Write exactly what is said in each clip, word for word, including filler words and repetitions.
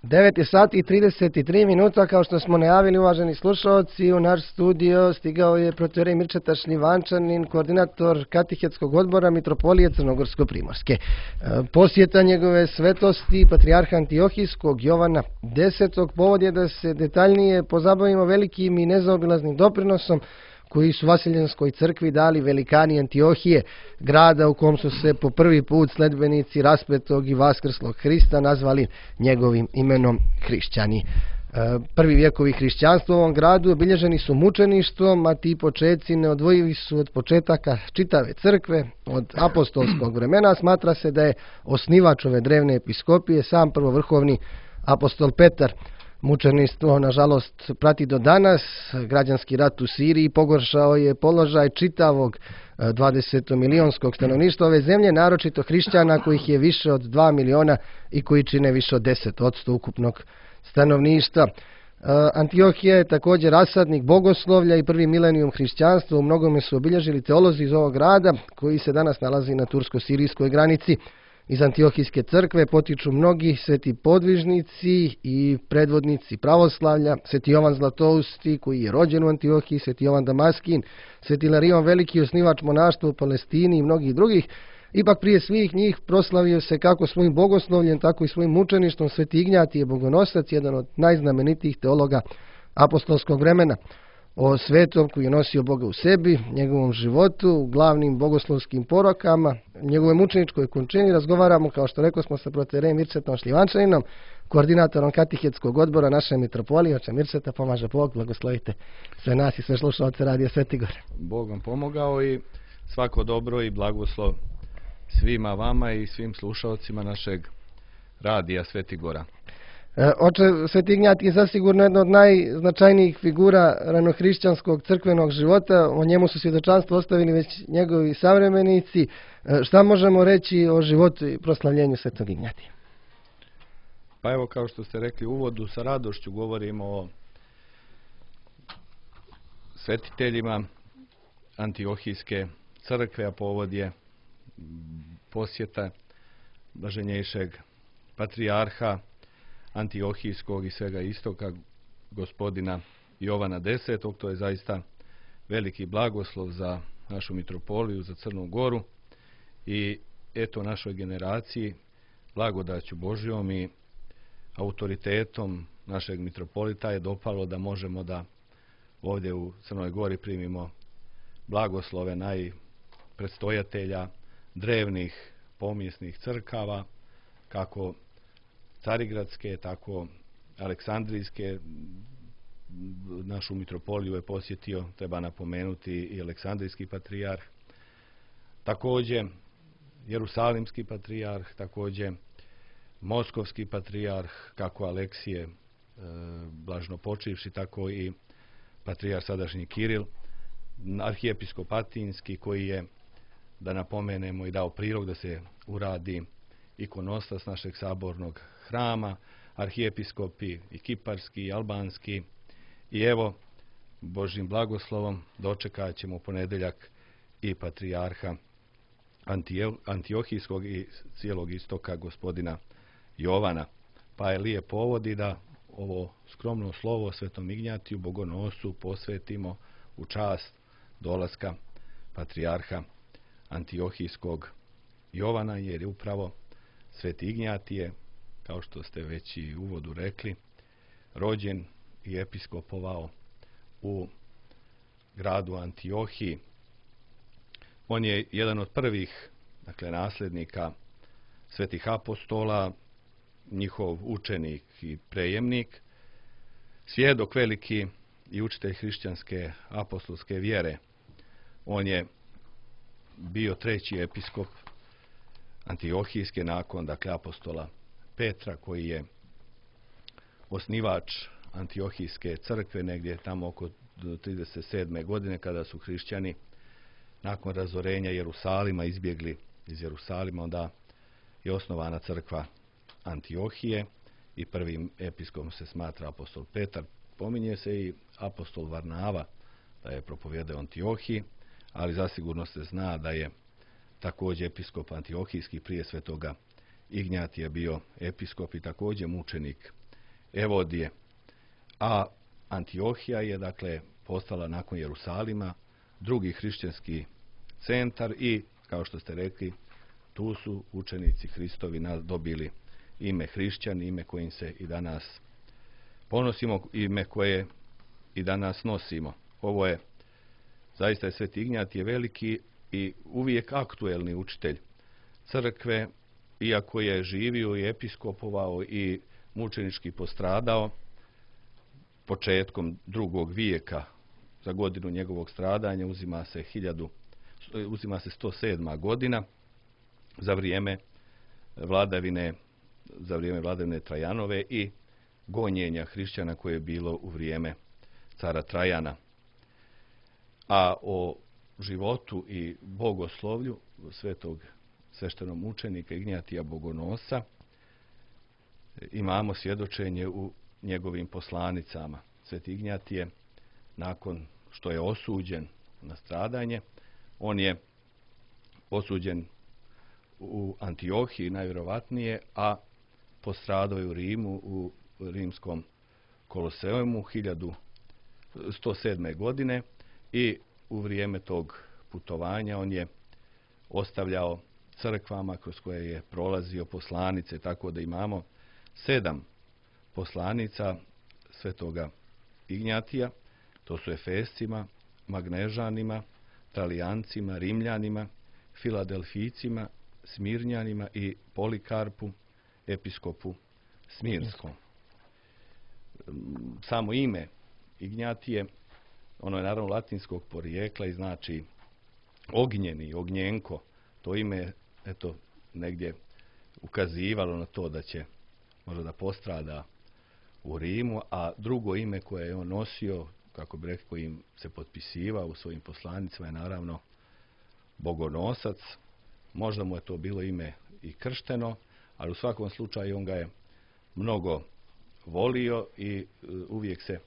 devet je sati i trideset tri minuta, kao što smo najavili, uvaženi slušalci, u naš studio stigao je protoijerej Mirčeta Šljivančanin, koordinator katehetskog odbora Mitropolije Crnogorsko-primorske. Posjeta njegove svetosti patrijarha Antiohijskog Jovana desetog povod je da se detaljnije pozabavimo velikim i nezaobilaznim doprinosom koji su Vaseljenskoj crkvi dali velikani Antiohije, grada u kom su se po prvi put sledbenici raspetog i vaskrslog Hrista nazvali njegovim imenom hrišćani. Prvi vjekovi hrišćanstva u ovom gradu obilježeni su mučeništvom, a ti početci neodvojivi su od početaka čitave crkve. Od apostolskog vremena smatra se da je osnivač ove drevne episkopije sam prvovrhovni apostol Petar. Mučeništvo, nažalost, prati do danas. Građanski rat u Siriji pogoršao je položaj čitavog dvadesetomilionskog stanovništva ove zemlje, naročito hrišćana kojih je više od dva miliona i koji čine više od deset odsto ukupnog stanovništva. Antiohija je također rasadnik bogoslovlja i prvi milenijum hrišćanstva. U mnogome su obilježili teolozi iz ovog grada koji se danas nalazi na tursko-sirijskoj granici. Iz Antiohijske crkve potiču mnogi sveti podvižnici i predvodnici pravoslavlja, sveti Jovan Zlatousti koji je rođen u Antiohiji, sveti Jovan Damaskin, sveti Ilarion Veliki, osnivač monaštva u Palestini i mnogih drugih. Ipak prije svih njih proslavio se kako svojim bogoslovljem, tako i svojim mučeništvom sveti Ignjatije Bogonosac, jedan od najznamenitijih teologa apostolskog vremena. O svetom koji je nosio Boga u sebi, njegovom životu, glavnim bogoslovskim porokama, njegove mučeničkoj končini razgovaramo, kao što rekao smo, sa protoijerejem Mirčetom Šljivančaninom, koordinatorom katehetskog odbora naše mitropolije. Oče Mirčeta, pomaže Bog, blagoslovite sve nas i sve slušalce Radija Sveti Gor. Bog vam pomogao i svako dobro i blagoslov svima vama i svim slušalcima našeg Radija Sveti Gora. Oče, sveti Ignjatije je zasigurno jedna od najznačajnijih figura ranohrišćanskog crkvenog života. O njemu su svjedočanstvo ostavili već njegovi savremenici. Šta možemo reći o životu i proslavljenju svetog Ignjatija? Pa evo, kao što ste rekli u uvodu, sa radošću govorimo o svetiteljima Antiohijske crkve, a povod je posjeta blaženjejšeg patrijarha Antiohijskog i svega istoka, gospodina Jovana desetog. To je zaista veliki blagoslov za našu mitropoliju, za Crnu Goru i eto našoj generaciji blagodaću Božjom i autoritetom našeg mitropolita je dopalo da možemo da ovdje u Crnoj Gori primimo blagoslove najpredstojatelja drevnih pomijesnih crkava, kako Carigradske, tako Aleksandrijske. Našu mitropoliju je posjetio, treba napomenuti, i Aleksandrijski patrijarh, također Jerusalimski patrijarh, također Moskovski patrijarh, kako Aleksije e, blažno počivši, tako i patrijarh sadašnji Kiril, arhijepiskop Atinski koji je, da napomenemo, i dao prilog da se uradi ikonostas našeg sabornog hrama, arhijepiskopi i kiparski i albanski. I evo, Božjim blagoslovom dočekat ćemo u ponedjeljak i patrijarha Antiohijskog i cijelog istoka, gospodina Jovana. Pa je lijep povod i da ovo skromno slovo Svetom Ignjatiju Bogonosu posvetimo u čast dolaska patrijarha Antiohijskog Jovana, jer je upravo sveti Ignjatije, kao što ste već i u uvodu rekli, rođen i episkopovao u gradu Antiohiji. On je jedan od prvih, dakle, nasljednika svetih apostola, njihov učenik i prejemnik, svjedok veliki i učitelj hrišćanske apostolske vjere. On je bio treći episkop Antiohijske nakon, dakle, apostola Petra, koji je osnivač Antiohijske crkve negdje tamo oko trideset sedme godine, kada su hrišćani nakon razorenja Jerusalima izbjegli iz Jerusalima. Onda je osnovana crkva Antiohije i prvim episkopom se smatra apostol Petar. Pominje se i apostol Varnava da je propovijedao Antiohiji, ali zasigurno se zna da je također episkop Antiohijski prije svetoga Ignjatija bio episkop i također mučenik Evodije. A Antiohija je dakle postala nakon Jerusalima drugi hrišćanski centar i, kao što ste rekli, tu su učenici Hristovi dobili ime hrišćani, ime kojim se i danas ponosimo, ime koje i danas nosimo. Ovo je zaista je Sveti Ignjatije veliki i uvijek aktuelni učitelj crkve, iako je živio i episkopovao i mučenički postradao početkom drugog vijeka. Za godinu njegovog stradanja uzima se hiljadu, uzima se sto sedma godina za vrijeme vladavine za vrijeme vladavine Trajanove i gonjenja hrišćana koje je bilo u vrijeme cara Trajana. A o životu i bogoslovlju svetog sveštenog mučenika Ignjatija Bogonosa imamo svjedočenje u njegovim poslanicama. Sveti Ignjatije, nakon što je osuđen na stradanje, on je osuđen u Antiohiji najvjerovatnije, a postradao je u Rimu u rimskom Koloseumu hiljadu sto sedme. godine i u vrijeme tog putovanja on je ostavljao crkvama kroz koje je prolazio poslanice, tako da imamo sedam poslanica svetoga Ignjatija. To su Efescima, Magnežanima, Tralijancima, Rimljanima, Filadelfijcima, Smirnjanima i Polikarpu, episkopu Smirskom. Samo ime Ignjatije, ono je naravno latinskog porijekla i znači ognjeni, ognjenko. To ime, eto, negdje ukazivalo na to da će možda da postrada u Rimu, a drugo ime koje je on nosio, kako bi rekao, im se potpisivao u svojim poslanicama, je naravno Bogonosac. Možda mu je to bilo ime i kršteno, ali u svakom slučaju on ga je mnogo volio i uvijek se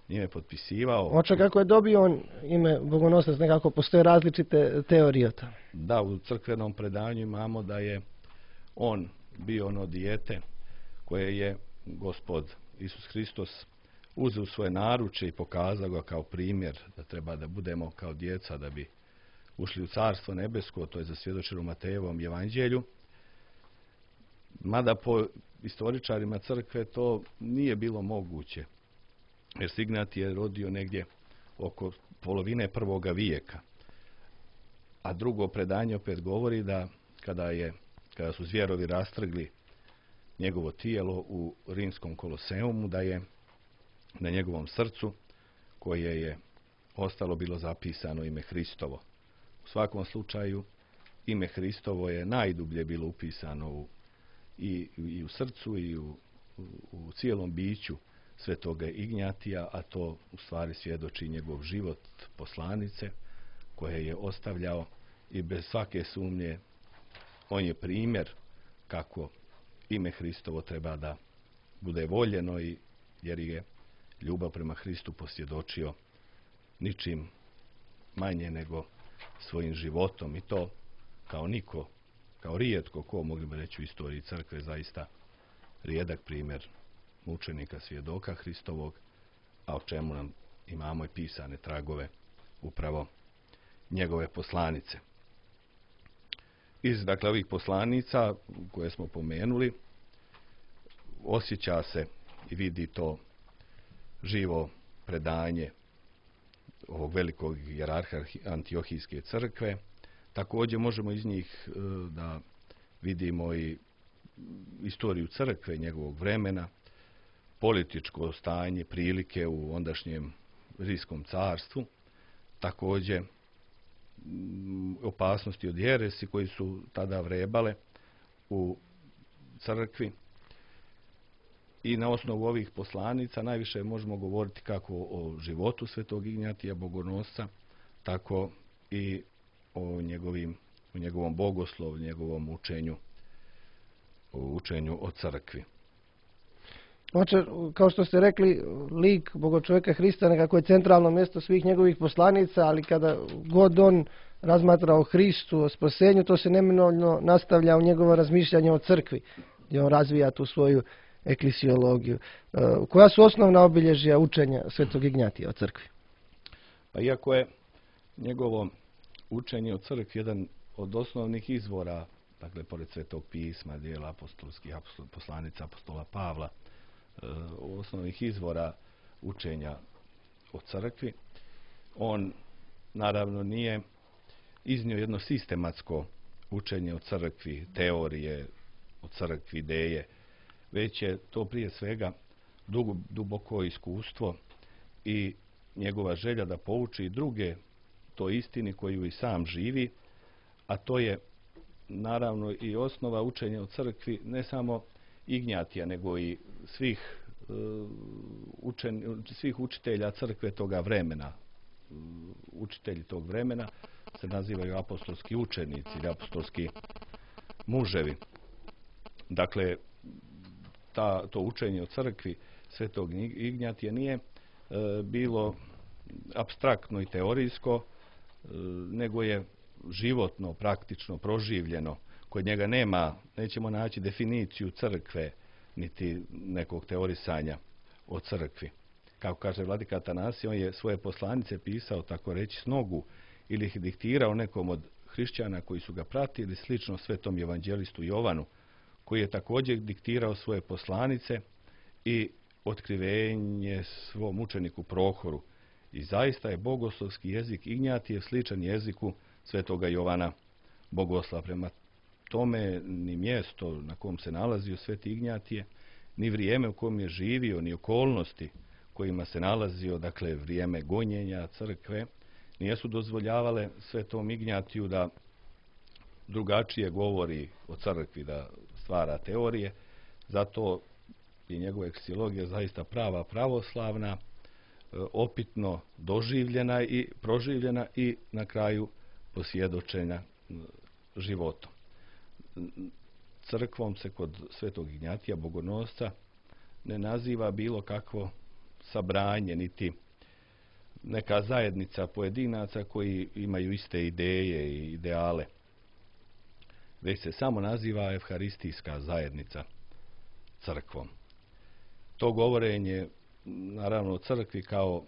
njime potpisivao. Oče, kako je dobio on ime Bogonosac, nekako postoje različite teorije o tome. Da, u crkvenom predanju imamo da je on bio ono dijete koje je Gospod Isus Hristos uzeo u svoje naruče i pokazao ga kao primjer da treba da budemo kao djeca da bi ušli u Carstvo nebesko. To je zasvjedočeno u Matejevom evanđelju. Mada po istoričarima crkve to nije bilo moguće, jer se Ignjatije je rodio negdje oko polovine prvoga vijeka. A drugo predanje opet govori da kada, je, kada su zvjerovi rastrgli njegovo tijelo u rimskom Koloseumu, da je na njegovom srcu, koje je ostalo, bilo zapisano ime Hristovo. U svakom slučaju, ime Hristovo je najdublje bilo upisano u, i, i u srcu i u, u, u cijelom biću svetoga Ignjatija, a to u stvari svjedoči njegov život poslanice koje je ostavljao i bez svake sumnje on je primjer kako ime Hristovo treba da bude voljeno, i jer je ljubav prema Hristu posvjedočio ničim manje nego svojim životom, i to kao niko, kao rijetko ko, mogli bi reći u istoriji crkve, zaista rijedak primjer mučenika, svjedoka Hristovog, a o čemu nam imamo i pisane tragove upravo njegove poslanice. Iz dakle ovih poslanica koje smo pomenuli osjeća se i vidi to živo predanje ovog velikog hijerarha Antiohijske crkve. Također možemo iz njih da vidimo i istoriju crkve, njegovog vremena, političko stanje, prilike u ondašnjem Rimskom carstvu, također opasnosti od jeresi koji su tada vrebale u crkvi. I na osnovu ovih poslanica najviše možemo govoriti kako o životu svetog Ignjatija Bogonosca, tako i o, njegovim, o njegovom bogoslovu, njegovom učenju, o učenju o crkvi. Oče, kao što ste rekli, lik Bogočovjeka Hrista nekako je centralno mjesto svih njegovih poslanica, ali kada god on razmatra o Hristu, o spasenju, to se neminovno nastavlja u njegovo razmišljanje o crkvi, gdje on razvija tu svoju eklisiologiju. E, koja su osnovna obilježja učenja Svetog Ignjatija o crkvi? Pa iako je njegovo učenje o crkvi jedan od osnovnih izvora, dakle, pored Svetog pisma, dijela apostolskih, apostol, poslanica apostola Pavla, e, osnovnih izvora učenja o crkvi, on naravno nije iznio jedno sistematsko učenje o crkvi, teorije o crkvi, ideje, već je to prije svega dugo, duboko iskustvo i njegova želja da pouči druge to istini koju i sam živi, a to je naravno i osnova učenja o crkvi ne samo Ignjatija, nego i svih, uh, učen, svih učitelja crkve toga vremena. Uh, učitelji tog vremena se nazivaju apostolski učenici ili apostolski muževi. Dakle, ta, to učenje o crkvi Svetog Ignjatija nije e, bilo apstraktno i teorijsko, e, nego je životno, praktično, proživljeno. Kod njega nema, nećemo naći definiciju crkve, niti nekog teorisanja o crkvi. Kako kaže vladika Atanasije, on je svoje poslanice pisao, tako reći, s nogu ili ih diktirao nekom od hrišćana koji su ga pratili, slično svetom evanđelistu Jovanu, koji je također diktirao svoje poslanice i otkrivenje svom učeniku Prohoru. I zaista je bogoslovski jezik Ignjatijev sličan jeziku svetoga Jovana Bogoslova. Prema tome ni mjesto na kom se nalazio sveti Ignjatije, ni vrijeme u kojem je živio, ni okolnosti kojima se nalazio, dakle vrijeme gonjenja crkve, nijesu dozvoljavale svetom Ignjatiju da drugačije govori o crkvi, da stvara teorije. Zato je njegova eksiologija zaista prava pravoslavna, opitno doživljena i proživljena i na kraju posvjedočenja životom. Crkvom se kod svetog Ignjatija Bogonosca ne naziva bilo kakvo sabranje, niti neka zajednica pojedinaca koji imaju iste ideje i ideale, već se samo naziva evharistijska zajednica crkvom. To govorenje, naravno, o crkvi kao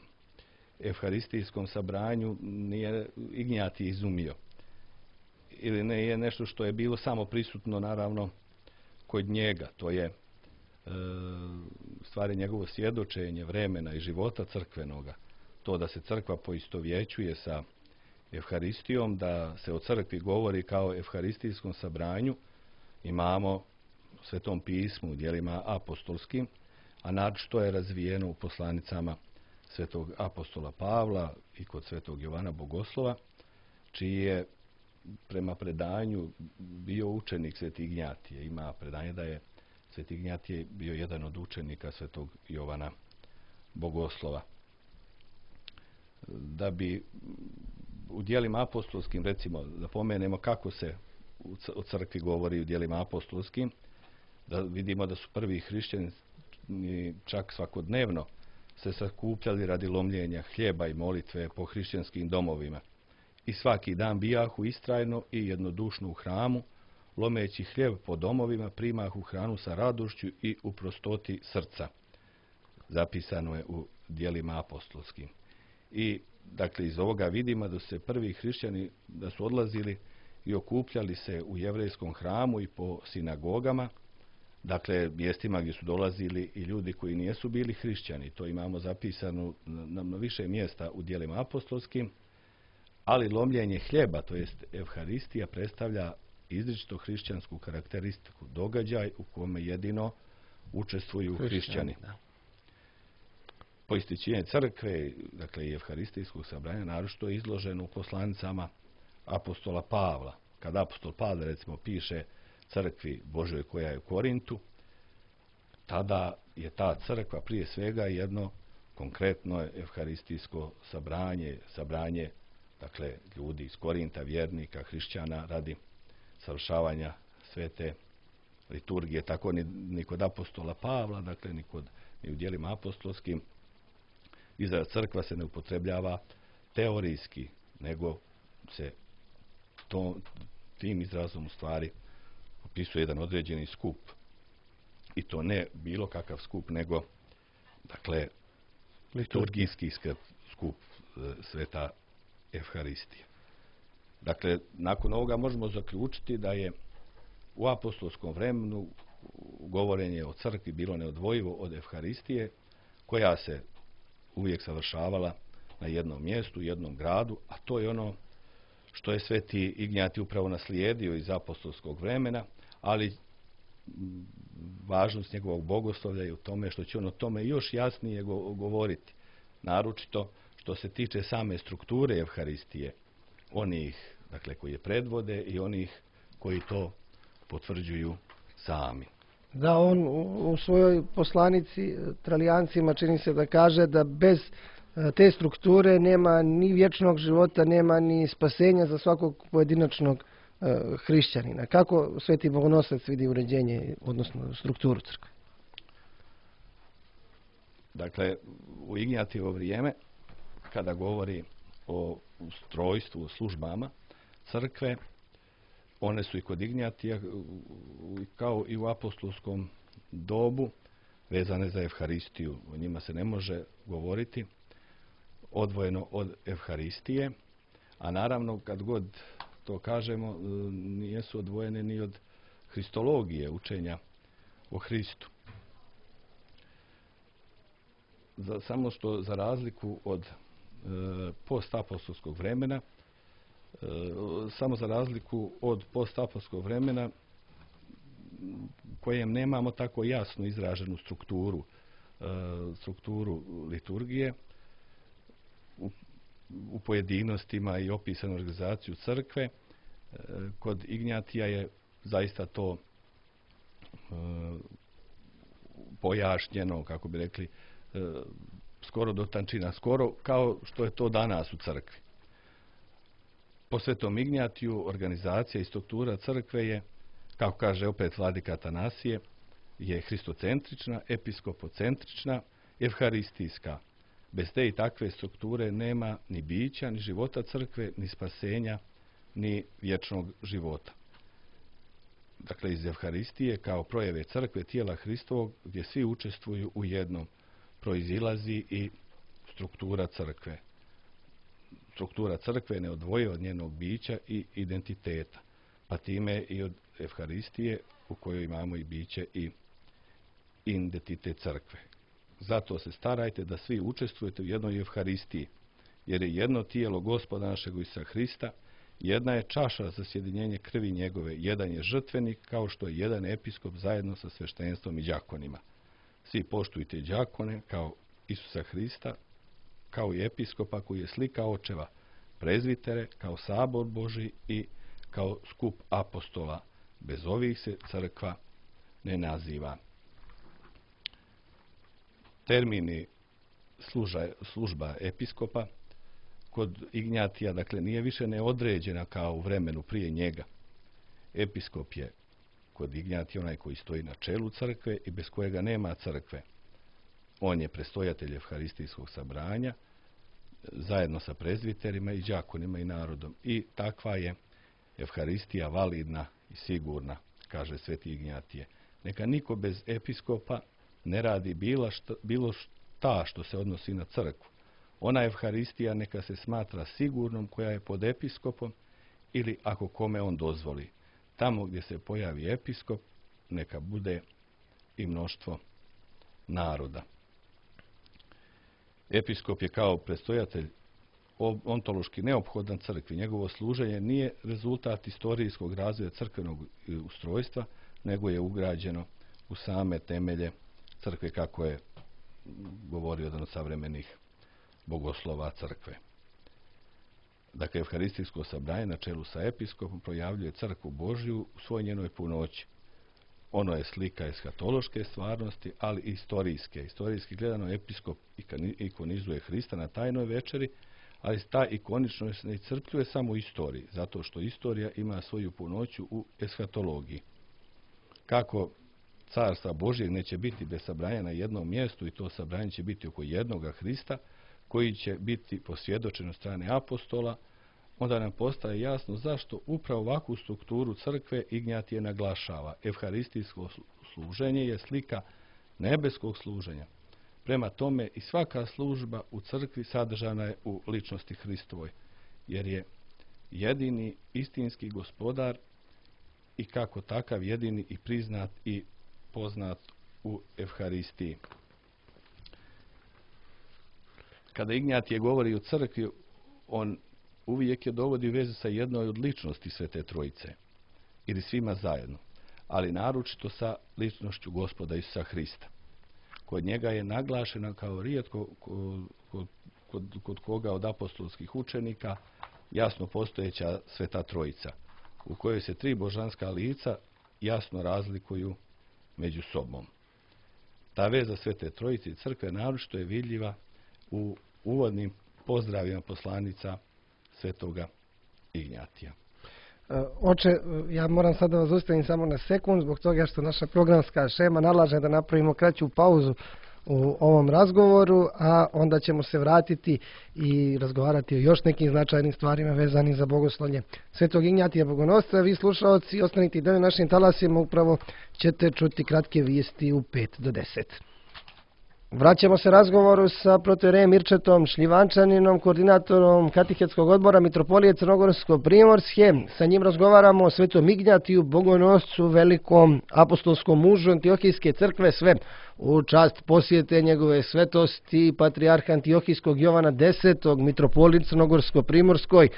evharistijskom sabranju nije Ignjatij izumio. Ili ne je nešto što je bilo samo prisutno, naravno, kod njega. To je e, stvari njegovo svjedočenje vremena i života crkvenoga. To da se crkva poistovjećuje sa evharistijom, da se o crkvi govori kao evharistijskom sabranju, imamo u Svetom pismu, u djelima apostolskim, a naročito je razvijeno u poslanicama svetog apostola Pavla i kod svetog Jovana Bogoslova, čiji je prema predanju bio učenik sveti Ignjatije. Ima predanje da je sveti Ignjatije bio jedan od učenika svetog Jovana Bogoslova. Da bi u djelima apostolskim, recimo, da pomenemo kako se o crkvi govori u djelima apostolskim, da vidimo da su prvi hrišćani čak svakodnevno se sakupljali radi lomljenja hljeba i molitve po hrišćanskim domovima. I svaki dan bijahu istrajno i jednodušno u hramu, lomeći hljeb po domovima, primahu hranu sa radošću i u prostoti srca. Zapisano je u djelima apostolskim. I dakle, iz ovoga vidimo da su se prvi hrišćani da su odlazili i okupljali se u jevrejskom hramu i po sinagogama, dakle, mjestima gdje su dolazili i ljudi koji nijesu bili hrišćani. To imamo zapisano na, na više mjesta u djelima apostolskim, ali lomljenje hljeba, to jest evharistija, predstavlja izričito hrišćansku karakteristiku, događaj u kome jedino učestvuju hrišćani. Poistićenje crkve, dakle i evharistijskog sabranja, naročito je izloženo u poslanicama apostola Pavla. Kad apostol Pavle, recimo, piše crkvi Božoj koja je u Korintu, tada je ta crkva prije svega jedno konkretno evharistijsko sabranje, sabranje, dakle, ljudi iz Korinta, vjernika, hrišćana, radi savršavanja svete liturgije. Tako ni, ni kod apostola Pavla, dakle, ni, kod, ni u djelima apostolskim, izraz crkva se ne upotrebljava teorijski, nego se to, tim izrazom u stvari opisuje jedan određeni skup i to ne bilo kakav skup, nego dakle liturgijski skup sveta Evharistija. Dakle, nakon ovoga možemo zaključiti da je u apostolskom vremenu govorenje o crkvi bilo neodvojivo od Evharistije, koja se uvijek savršavala na jednom mjestu, jednom gradu, a to je ono što je sveti Ignjatij upravo naslijedio iz apostolskog vremena, ali važnost njegovog bogoslovlja je u tome što će on o tome još jasnije govoriti, naročito što se tiče same strukture Evharistije, onih dakle koji je predvode i onih koji to potvrđuju sami. Da, on u svojoj poslanici Tralijancima čini se da kaže da bez te strukture nema ni vječnog života, nema ni spasenja za svakog pojedinačnog hrišćanina. Kako sveti Bogonosac vidi uređenje, odnosno strukturu crkve? Dakle, u Ignjatijevo vrijeme, kada govori o ustrojstvu, o službama crkve, one su i kod Ignjatija, kao i u apostolskom dobu, vezane za Evharistiju. O njima se ne može govoriti odvojeno od Evharistije, a naravno kad god to kažemo, nisu odvojene ni od hristologije, učenja o Hristu. Za, samo što za razliku od e, postapostolskog vremena, e, samo za razliku od postapostolskog vremena kojem nemamo tako jasno izraženu strukturu, e, strukturu liturgije, u, u pojedinostima i opisanu organizaciju crkve, e, kod Ignjatija je zaista to e, pojašnjeno, kako bi rekli, skoro do tančina, skoro kao što je to danas u crkvi. Po svetom Ignjatiju organizacija i struktura crkve je, kako kaže opet vladika Atanasije, je hristocentrična, episkopocentrična, evharistijska. Bez te i takve strukture nema ni bića, ni života crkve, ni spasenja, ni vječnog života. Dakle, iz Evharistije kao projeve crkve, tijela Hristovog, gdje svi učestvuju u jednom, proizilazi i struktura crkve. Struktura crkve ne odvoji od njenog bića i identiteta, pa time i od Evharistije u kojoj imamo i biće i identitet crkve. Zato se starajte da svi učestvujete u jednoj Evharistiji, jer je jedno tijelo Gospoda našeg Isusa Hrista, jedna je čaša za sjedinjenje krvi njegove, jedan je žrtvenik, kao što je jedan episkop zajedno sa sveštenstvom i đakonima. Svi poštujte đakone kao Isusa Hrista, kao i episkopa koji je slika očeva, prezvitere kao sabor Božji i kao skup apostola. Bez ovih se crkva ne naziva. Termini služa, služba episkopa kod Ignjatija, dakle, nije više neodređena kao u vremenu prije njega. Episkop je kod Ignjatija onaj koji stoji na čelu crkve i bez kojega nema crkve. On je prestojatelj Evharistijskog sabranja zajedno sa prezviterima i đakonima i narodom. I takva je Evharistija validna i sigurna, kaže sveti Ignjatije. Neka niko bez episkopa ne radi bilo šta, bilo šta što se odnosi na crkvu. Ona Evharistija neka se smatra sigurnom koja je pod episkopom ili ako kome on dozvoli. Tamo gdje se pojavi episkop, neka bude i mnoštvo naroda. Episkop je kao predstojatelj ontološki neophodan crkvi. Njegovo služenje nije rezultat istorijskog razvoja crkvenog ustrojstva, nego je ugrađeno u same temelje crkve, kako je govorio jedan od savremenih bogoslova crkve. Dakle, Evharistijsko sabranje na čelu sa episkopom projavljuje crkvu Božju u svoj njenoj punoći. Ono je slika eshatološke stvarnosti, ali i istorijske. Istorijski gledano episkop ikonizuje Hrista na tajnoj večeri, ali ta ikoničnost ne iscrpljuje samo u istoriji, zato što istorija ima svoju punoću u eshatologiji. Kako carstva Božjeg neće biti bez sabranja na jednom mjestu i to sabranje će biti oko jednoga Hrista, koji će biti posvjedočen od strane apostola, onda nam postaje jasno zašto upravo ovakvu strukturu crkve Ignjatije naglašava. Evharistijsko služenje je slika nebeskog služenja. Prema tome i svaka služba u crkvi sadržana je u ličnosti Hristovoj, jer je jedini istinski gospodar i kako takav jedini i priznat i poznat u Evharistiji. Kada Ignjatije govori o crkvi, on uvijek je dovodi u vezu sa jednoj od ličnosti Svete Trojice ili svima zajedno, ali naročito sa ličnošću Gospoda Isusa Hrista. Kod njega je naglašena kao rijetko kod, kod, kod koga od apostolskih učenika jasno postojeća Sveta Trojica, u kojoj se tri božanska lica jasno razlikuju među sobom. Ta veza Svete Trojice i crkve naročito je vidljiva u uvodnim pozdravima poslanica Svetoga Ignjatija. Oče, ja moram sad da vas zaustavim samo na sekund, zbog toga što naša programska šema nalaže da napravimo kraću pauzu u ovom razgovoru, a onda ćemo se vratiti i razgovarati o još nekim značajnim stvarima vezanim za bogoslovlje Svetog Ignjatija Bogonosca. Vi slušaoci, ostanite i dalje našim talasima, upravo ćete čuti kratke vijesti u pet do deset. Vraćamo se razgovoru sa protoijerejem Mirčetom Šljivančaninom, koordinatorom Katehetskog odbora Mitropolije Crnogorsko-Primorske. Sa njim razgovaramo o Svetom Ignjatiju Bogonoscu, velikom apostolskom mužu Antiohijske crkve, sve u čast posjete njegove svetosti patrijarha Antiohijskog Jovana desetog, Mitropolije Crnogorsko-Primorskoj.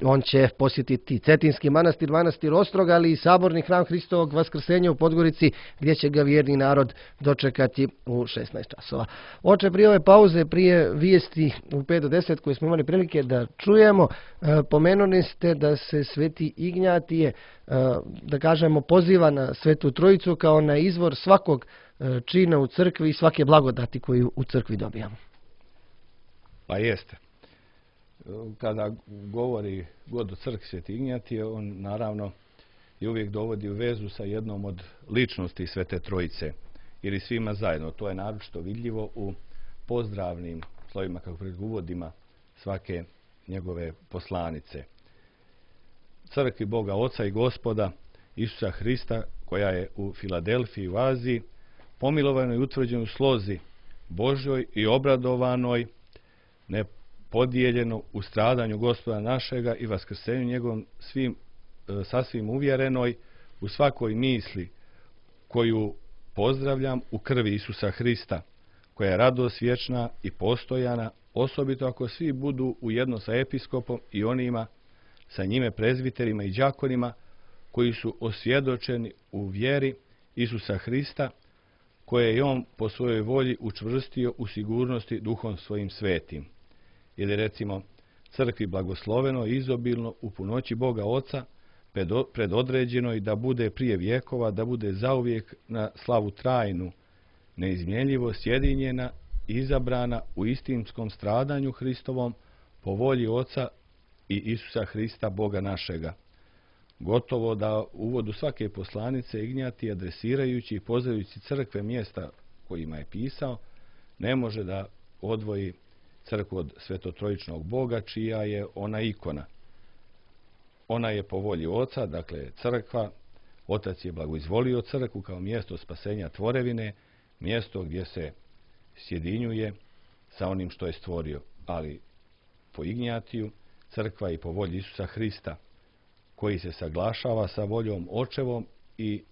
On će posjetiti Cetinski manastir, manastir Ostrog, ali i saborni hram Hristovog Vaskrsenja u Podgorici, gdje će ga vjerni narod dočekati u šesnaest časova. Oče, prije ove pauze, prije vijesti u pet do deset koje smo imali prilike da čujemo, pomenuli ste da se Sveti Ignjatije, da kažemo, poziva na Svetu Trojicu kao na izvor svakog čina u crkvi i svake blagodati koju u crkvi dobijamo. Pa jeste. Kada govori god o crkvi Sveti Ignjatije, on naravno je uvijek dovodi u vezu sa jednom od ličnosti Svete Trojice ili svima zajedno. To je naročito vidljivo u pozdravnim slovima, kako pred uvodima svake njegove poslanice. Crkvi Boga Oca i Gospoda Isusa Hrista, koja je u Filadelfiji u Aziji, pomilovanoj i utvrđenoj slozi Božjoj i obradovanoj, ne podijeljeno u stradanju Gospoda našega i vaskrsenju njegovom, svim, sasvim uvjerenoj u svakoj misli koju pozdravljam u krvi Isusa Hrista, koja je radost vječna i postojana, osobito ako svi budu ujedno sa episkopom i onima sa njime prezbiterima i đakonima koji su osvjedočeni u vjeri Isusa Hrista, koje je on po svojoj volji učvrstio u sigurnosti duhom svojim svetim. Ili recimo crkvi blagosloveno i izobilno u punoći Boga Oca predodređenoj da bude prije vjekova, da bude zauvijek na slavu trajnu, neizmjenljivo sjedinjena i izabrana u istinskom stradanju Hristovom po volji Oca i Isusa Hrista Boga našega. Gotovo da u uvodu svake poslanice Ignjatije, adresirajući i pozvajući crkve mjesta kojima je pisao, ne može da odvoji crkvu od svetotrojičnog Boga, čija je ona ikona. Ona je po volji Oca, dakle crkva. Otac je blagoizvolio crkvu kao mjesto spasenja tvorevine, mjesto gdje se sjedinjuje sa onim što je stvorio. Ali po Ignjatiju crkva je po volji Isusa Hrista, koji se saglašava sa voljom Očevom i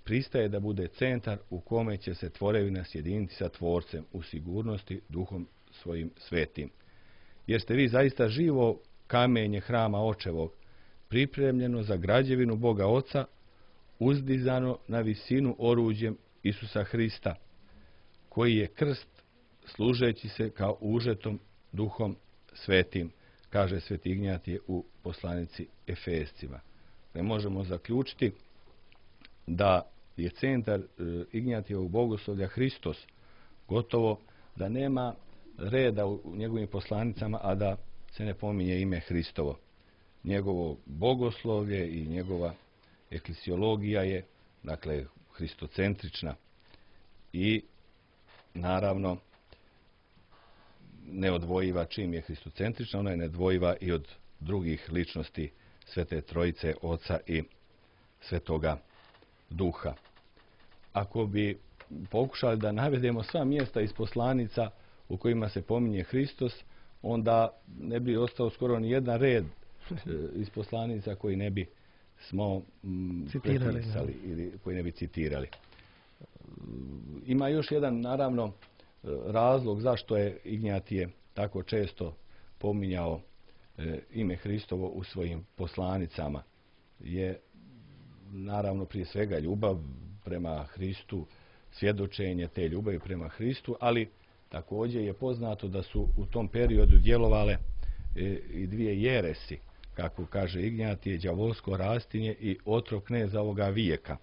pristaje da bude centar u kome će se tvorevina sjediniti sa Tvorcem u sigurnosti duhom svojim svetim. Jer ste vi zaista živo kamenje hrama Očevog, pripremljeno za građevinu Boga Oca, uzdizano na visinu oruđem Isusa Hrista, koji je krst služeći se kao užetom duhom svetim, kaže Sveti Ignjatije u poslanici Efescima. Ne možemo zaključiti da je centar Ignjatijevog bogoslovlja Hristos, gotovo da nema reda u njegovim poslanicama, a da se ne pominje ime Hristovo. Njegovo bogoslovlje i njegova eklesiologija je, dakle, hristocentrična i naravno neodvojiva. Čim je hristocentrična, ona je nedvojiva i od drugih ličnosti Svete Trojice, Oca i Svetoga Duha. Ako bi pokušali da navedemo sva mjesta iz poslanica u kojima se pominje Hristos, onda ne bi ostao skoro ni jedan red iz poslanica koji ne bi smo prepisali ili koji ne bi citirali. Ima još jedan, naravno, razlog zašto je Ignjatije tako često pominjao ime Hristovo u svojim poslanicama. Je, naravno, prije svega ljubav prema Hristu, svjedočenje te ljubavi prema Hristu, ali također je poznato da su u tom periodu djelovale i dvije jeresi, kako kaže Ignjatije, đavolsko rastinje i otrov kneza ovoga vijeka,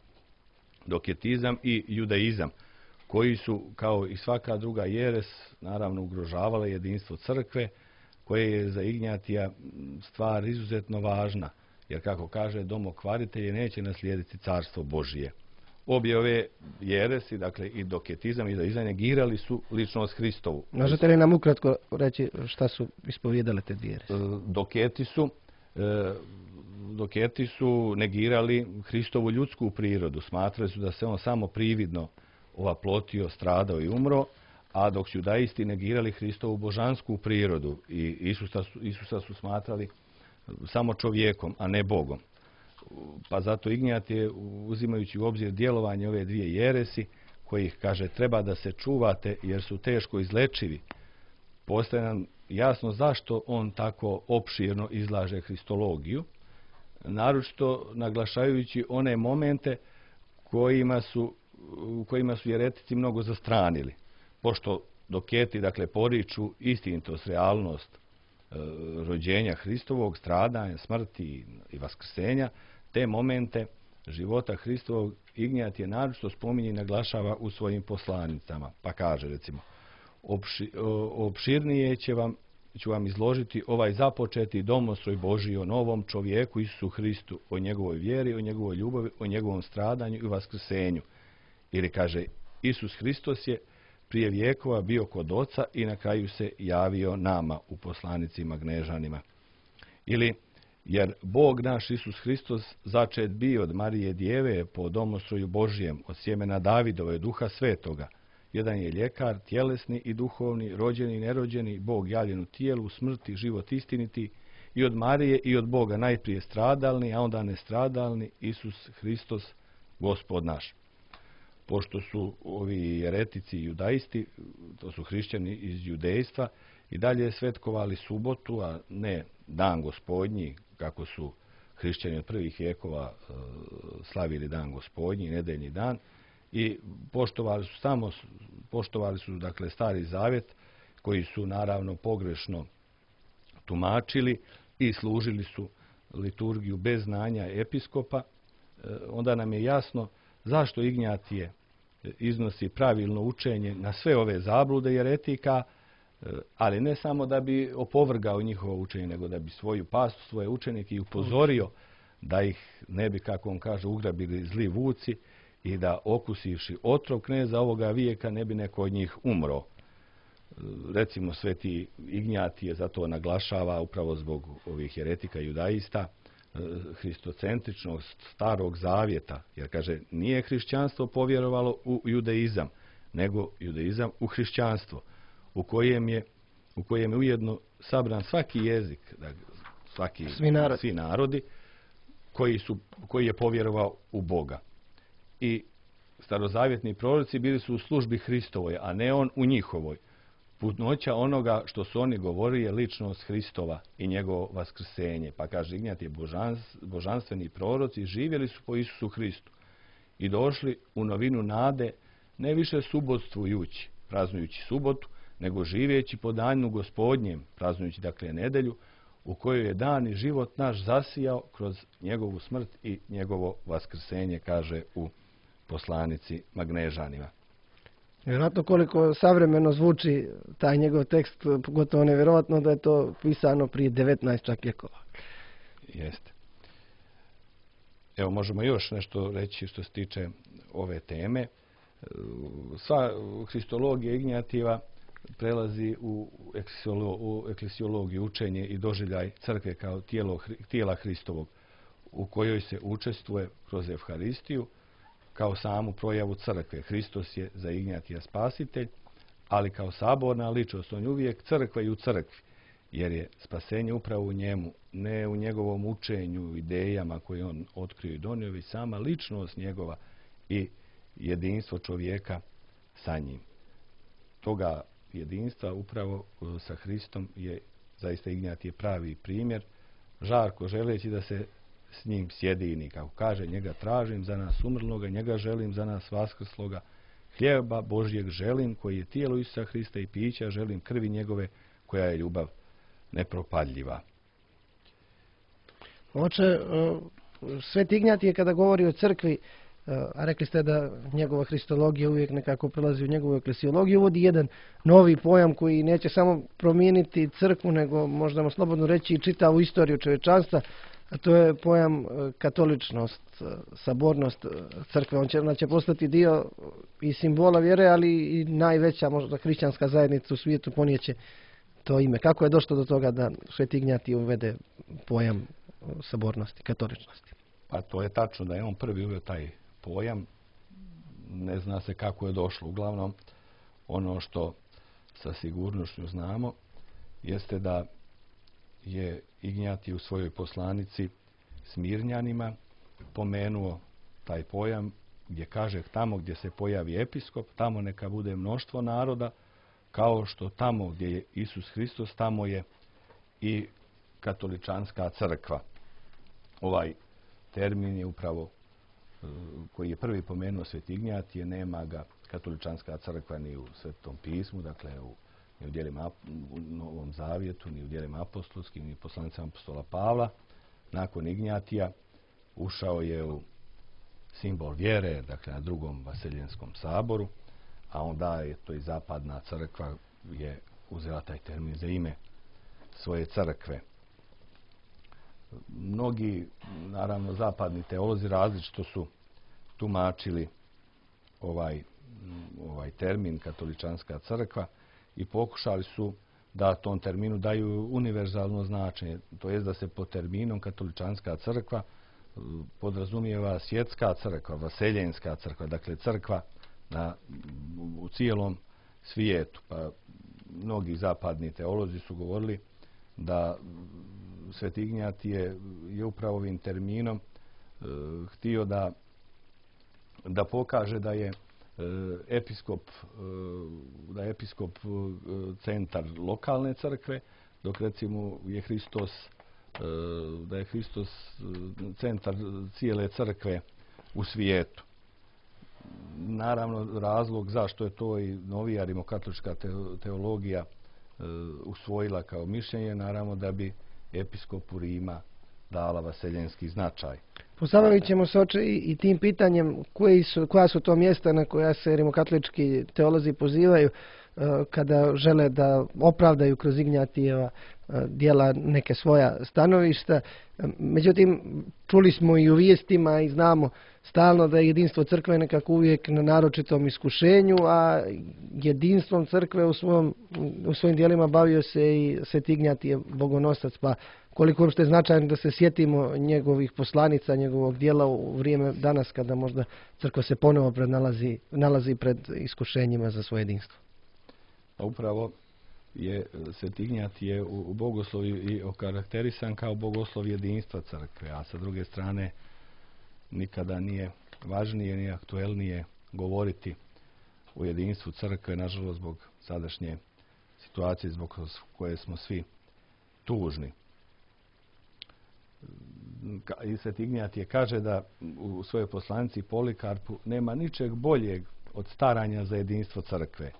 doketizam i judaizam, koji su, kao i svaka druga jeres, naravno ugrožavale jedinstvo crkve, koje je za Ignjatija stvar izuzetno važna, jer, kako kaže, domokvaritelji neće naslijediti carstvo Božije. Obje ove jeresi, dakle i doketizam i judaizam, negirali su ličnost Hristovu. Možete li nam ukratko reći šta su ispovijedale te dvije jeresi? Doketi su, doketi su negirali Hristovu ljudsku prirodu. Smatrali su da se on samo prividno ovaplotio, stradao i umro, a dok su judaisti negirali Hristovu božansku prirodu i Isusa su, Isusa su smatrali samo čovjekom, a ne Bogom. Pa zato Ignjatije, uzimajući u obzir djelovanje ove dvije jeresi, kojih, kaže, treba da se čuvate jer su teško izlečivi, postaje nam jasno zašto on tako opširno izlaže hristologiju, naročito naglašajući one momente kojima su, kojima su jeretici mnogo zastranili. Pošto doketi, dakle, poriču istinitost, realnost e, rođenja Hristovog, stradanja, smrti i vaskrsenja, te momente života Hristovog Ignjatije naročito spominje i naglašava u svojim poslanicama. Pa kaže, recimo, opši, opširnije će vam, ću vam izložiti ovaj započeti domostroj Božiji o novom čovjeku Isusu Hristu, o njegovoj vjeri, o njegovoj ljubavi, o njegovom stradanju i vaskrsenju. Ili, kaže, Isus Hristos je prije vijekova bio kod Oca i na kraju se javio nama u poslanicima Gnežanima. Ili, jer Bog naš Isus Hristos začet bio od Marije Djeve po domostroju Božijem, od sjemena Davidove, Duha Svetoga. Jedan je ljekar, tjelesni i duhovni, rođeni i nerođeni, Bog javljen u tijelu, smrti, život istiniti, i od Marije i od Boga najprije stradalni, a onda nestradalni, Isus Hristos, Gospod naš. Pošto su ovi jeretici i judaisti, to su hrišćani iz judejstva, i dalje svetkovali subotu, a ne dan Gospodnji, kako su hrišćani od prvih vijekova e, slavili dan Gospodnji, nedeljni dan, i poštovali su samo poštovali su dakle Stari Zavjet, koji su naravno pogrešno tumačili i služili su liturgiju bez znanja episkopa. E, onda nam je jasno zašto Ignjatije iznosi pravilno učenje na sve ove zablude jeretika, ali ne samo da bi opovrgao njihovo učenje, nego da bi svoju pastu, svoje učenike i upozorio da ih ne bi, kako on kaže, ugrabili zli vuci i da, okusivši otrov kneza ovoga vijeka, ne bi neko od njih umro. Recimo, sveti Ignjatije zato naglašava, upravo zbog ovih jeretika i judaista, hristocentričnost Starog Zavjeta, jer, kaže, nije hrišćanstvo povjerovalo u judaizam, nego judaizam u hrišćanstvo, u kojem je, u kojem je ujedno sabran svaki jezik, dakle, svaki, svi, narod. svi narodi, koji, su, koji je povjerovao u Boga. I starozavjetni proroci bili su u službi Hristovoj, a ne on u njihovoj. Putnoća onoga što su oni govorili je ličnost Hristova i njegovo vaskrsenje. Pa, kaže Ignjatije, božans, božanstveni proroci živjeli su po Isusu Hristu i došli u novinu nade, ne više subotstvujući, praznujući subotu, nego živjeći po danu Gospodnjem, praznujući, dakle, nedelju, u kojoj je dan i život naš zasijao kroz njegovu smrt i njegovo vaskrsenje, kaže u poslanici Magnežanima. Vjerojatno koliko savremeno zvuči taj njegov tekst, pogotovo nevjerojatno da je to pisano prije devetnaest čak vjekova. Jeste. Evo, možemo još nešto reći što se tiče ove teme. Sva hristologija Ignjatijeva prelazi u, eklesiolo, u eklesiologiju, učenje i doživljaj crkve kao tijelo, tijela Hristovog, u kojoj se učestvuje kroz Evharistiju kao samu projavu crkve. Hristos je za Ignjatija spasitelj, ali kao saborna ličnost, on je uvijek crkva i u crkvi, jer je spasenje upravo u njemu, ne u njegovom učenju, idejama koje on otkrio i donio, već sama ličnost njegova i jedinstvo čovjeka sa njim. Toga jedinstva upravo sa Hristom je zaista Ignjatije pravi primjer, žarko želeći da se s njim sjedini, kako kaže, njega tražim za nas umrloga, njega želim za nas vaskrsloga, hljeba Božjeg želim, koji je tijelo Isusa Hrista i pića, želim krvi njegove, koja je ljubav nepropadljiva. Oče, Sveti Ignjatije kada govori o crkvi, a rekli ste da njegova hristologija uvijek nekako prelazi u njegovu eklesiologiju, uvodi jedan novi pojam koji neće samo promijeniti crkvu, nego možemo slobodno reći i čitavu istoriju čovječanstva, a to je pojam katoličnost, sabornost crkve. On će, ona će postati dio i simbola vjere, ali i najveća možda hrišćanska zajednica u svijetu ponijeće to ime. Kako je došlo do toga da Sveti Ignjatije uvede pojam sabornosti, katoličnosti? Pa to je tačno da je on prvi uveo taj pojam. Ne zna se kako je došlo. Uglavnom, ono što sa sigurnošću znamo jeste da je Ignjatije u svojoj poslanici Smirnjanima pomenuo taj pojam gdje kaže tamo gdje se pojavi episkop, tamo neka bude mnoštvo naroda, kao što tamo gdje je Isus Hristos, tamo je i katoličanska crkva. Ovaj termin je upravo koji je prvi pomenuo Sveti Ignjatije, nema ga katoličanska crkva ni u Svetom pismu, dakle u, ni u djelima u Novom Zavjetu, ni u djelima apostolskim, ni u poslanicama apostola Pavla. Nakon Ignjatija ušao je u simbol vjere, dakle na drugom Vaseljenskom saboru, a onda je to i zapadna crkva je uzela taj termin za ime svoje crkve. Mnogi, naravno, zapadni teolozi različito su tumačili ovaj, ovaj termin katoličanska crkva i pokušali su da tom terminu daju univerzalno značenje. To jest da se po terminom katoličanska crkva podrazumijeva svjetska crkva, vaseljenska crkva, dakle crkva na, u cijelom svijetu. Pa mnogi zapadni teolozi su govorili da Sveti Ignjatije je upravo ovim terminom e, htio da, da pokaže da je e, episkop, e, da je episkop e, centar lokalne crkve, dok recimo je Hristos, e, da je Hristos centar cijele crkve u svijetu. Naravno, razlog zašto je to i novija rimokatolička teologija e, usvojila kao mišljenje, naravno da bi episkopu Rima dala vaseljenski značaj. Pozabavit ćemo se oče i, i tim pitanjem koji su, koja su to mjesta na koja se rimokatolički teolozi pozivaju uh, kada žele da opravdaju kroz Ignjatijeva uh, djela neke svoja stanovišta. Međutim, čuli smo i u vijestima i znamo stalno da je jedinstvo crkve nekako uvijek na naročitom iskušenju, a jedinstvom crkve u, svom, u svojim djelima bavio se i Sveti Ignjatije bogonosac, pa koliko uopšte je značajno da se sjetimo njegovih poslanica, njegovog djela u vrijeme danas kada možda crkva se ponovo pred nalazi, nalazi pred iskušenjima za svoje jedinstvo. A upravo je Sveti Ignjatije u, u bogoslovju i okarakterisan kao bogoslov jedinstva crkve, a sa druge strane nikada nije važnije ni aktuelnije govoriti o jedinstvu crkve, nažalost zbog sadašnje situacije zbog koje smo svi tužni. I Sveti Ignjatije kaže da u svojoj poslanici Polikarpu nema ničeg boljeg od staranja za jedinstvo crkve,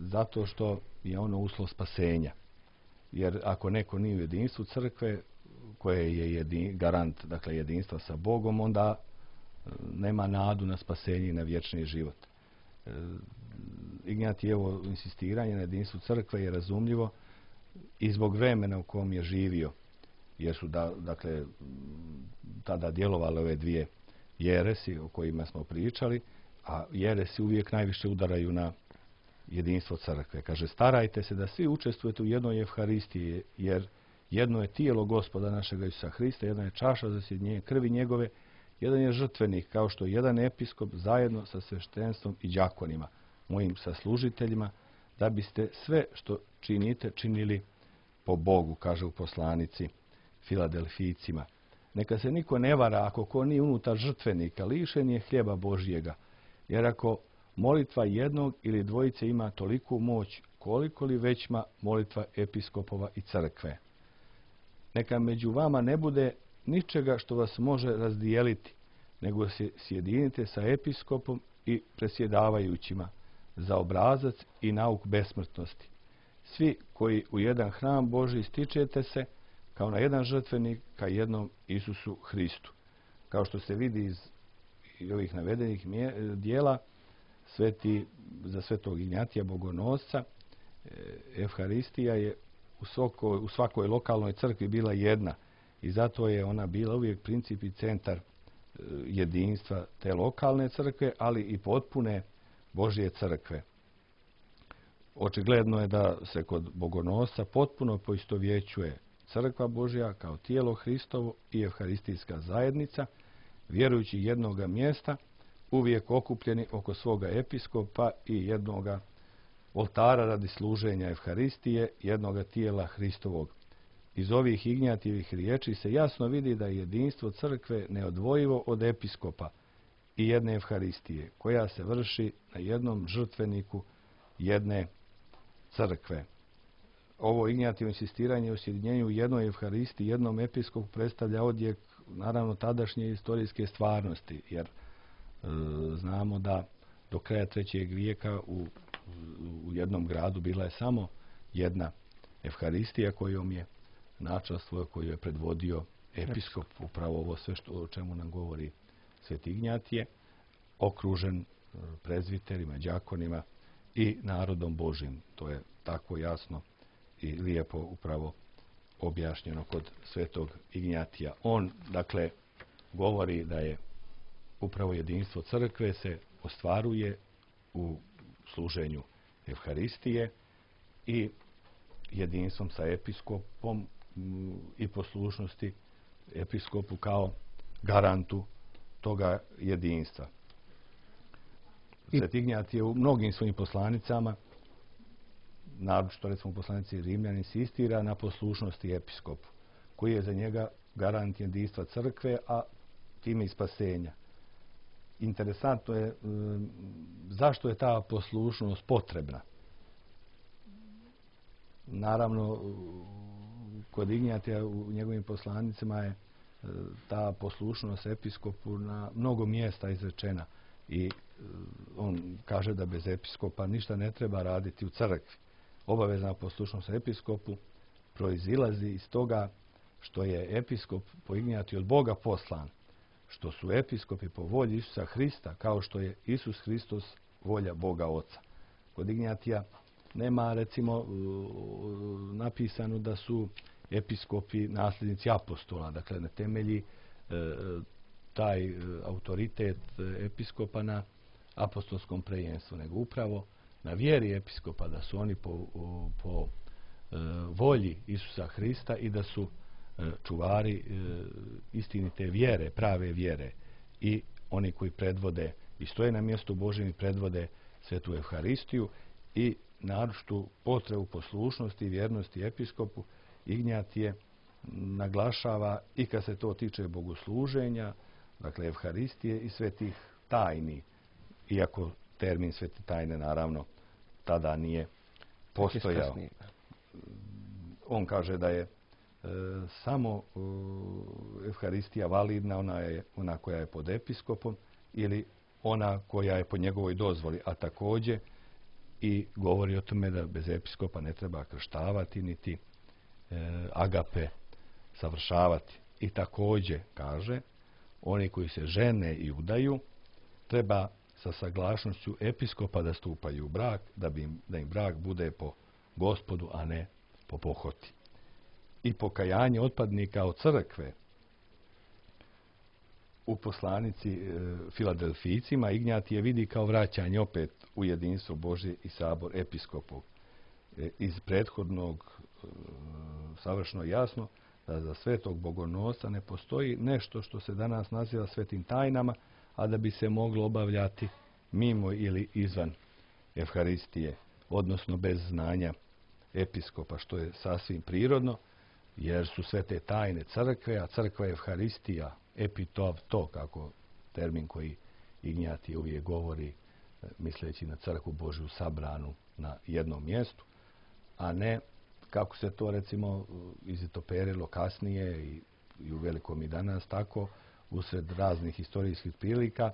zato što je ono uslov spasenja. Jer ako neko nije u jedinstvu crkve, koje je jedin, garant dakle, jedinstva sa Bogom, onda nema nadu na spasenje i na vječni život. Ignjatijevo insistiranje na jedinstvu crkve je razumljivo i zbog vremena u kom je živio, jer su da, dakle, tada djelovale ove dvije jeresi o kojima smo pričali, a jeresi uvijek najviše udaraju na jedinstvo crkve. Kaže, starajte se da svi učestvujete u jednoj Evharistiji, jer jedno je tijelo Gospoda našega Isusa Hrista, jedna je čaša za sjedinjenje krvi njegove, jedan je žrtvenik, kao što je jedan episkop zajedno sa sveštenstvom i đakonima, mojim saslužiteljima, da biste sve što činite, činili po Bogu, kaže u poslanici Filadelfijcima. Neka se niko ne vara ako ko nije unutar žrtvenika, lišen je hljeba Božjega, jer ako molitva jednog ili dvojice ima toliku moć, koliko li većma molitva episkopova i crkve. Neka među vama ne bude ničega što vas može razdijeliti, nego se sjedinite sa episkopom i presjedavajućima za obrazac i nauk besmrtnosti. Svi koji u jedan hram Božji stičete se, kao na jedan žrtvenik, ka jednom Isusu Hristu. Kao što se vidi iz ovih navedenih dijela, sveti, za svetog Ignjatija Bogonosca, Evharistija je u svakoj, u svakoj lokalnoj crkvi bila jedna i zato je ona bila uvijek princip i centar jedinstva te lokalne crkve, ali i potpune Božje crkve. Očigledno je da se kod Bogonosca potpuno poistovjećuje crkva Božja kao tijelo Hristovo i evharistijska zajednica, vjerujući jednoga mjesta, uvijek okupljeni oko svoga episkopa i jednoga oltara radi služenja Evharistije, jednoga tijela Hristovog. Iz ovih Ignjatijevih riječi se jasno vidi da je jedinstvo crkve neodvojivo od episkopa i jedne Evharistije, koja se vrši na jednom žrtveniku jedne crkve. Ovo Ignjatijevo insistiranje o sjedinjenju u jednoj Evharistiji, jednom episkopu predstavlja odjek, naravno, tadašnje historijske stvarnosti, jer e, znamo da do kraja trećeg vijeka u, u jednom gradu bila je samo jedna Evharistija kojom je načelstvo koju je predvodio episkop, upravo ovo sve što, o čemu nam govori sveti Ignjatije, okružen prezviterima, đakonima i narodom Božim. To je tako jasno i lijepo upravo objašnjeno kod svetog Ignjatija. On, dakle, govori da je upravo jedinstvo crkve se ostvaruje u služenju Evharistije i jedinstvom sa episkopom i poslušnosti episkopu kao garantu toga jedinstva. Sveti Ignjatije u mnogim svojim poslanicama, naročito recimo u poslanici Rimljani, insistira na poslušnosti episkopu, koji je za njega garant jedinstva crkve, a time i spasenja. Interesantno je zašto je ta poslušnost potrebna. Naravno, kod Ignjatija u njegovim poslanicima je ta poslušnost episkopu na mnogo mjesta izrečena i on kaže da bez episkopa ništa ne treba raditi u crkvi. Obavezna poslušnost episkopu proizilazi iz toga što je episkop po Ignjatiju od Boga poslan, što su episkopi po volji Isusa Hrista, kao što je Isus Hristos volja Boga Oca. Kod Ignjatija nema, recimo, napisano da su episkopi nasljednici apostola, dakle ne temelji e, taj autoritet episkopa na apostolskom prejenstvu, nego upravo na vjeri episkopa, da su oni po, po e, volji Isusa Hrista i da su e, čuvari e, istinite vjere, prave vjere, i oni koji predvode i stoje na mjestu Božjem i predvode svetu Evharistiju i naročitu potrebu poslušnosti i vjernosti episkopu. Ignjatije naglašava i kad se to tiče bogosluženja, dakle Evharistije i svetih tajni, iako termin svete tajne naravno tada nije postojao. On kaže da je e, samo e, Evharistija validna, ona je ona koja je pod episkopom ili ona koja je po njegovoj dozvoli, a također i govori o tome da bez episkopa ne treba krštavati niti e, agape savršavati. I također kaže, oni koji se žene i udaju treba sa saglašnošću episkopa da stupaju u brak, da, bi im, da im brak bude po Gospodu, a ne po pohoti. I pokajanje otpadnika od crkve u poslanici e, Filadelfijcima Ignjatije vidi kao vraćanje opet u jedinstvo Božje i sabor episkopov. E, iz prethodnog e, savršeno jasno da za svetog bogonosca ne postoji nešto što se danas naziva svetim tajnama, a da bi se moglo obavljati mimo ili izvan Evharistije, odnosno bez znanja episkopa, što je sasvim prirodno, jer su sve te tajne crkve, a crkva je Evharistija, epitov, to kako termin koji Ignjatije uvijek govori, misleći na crkvu Božju sabranu na jednom mjestu, a ne kako se to recimo izitoperilo kasnije i, i u velikom i danas tako, usred raznih historijskih prilika,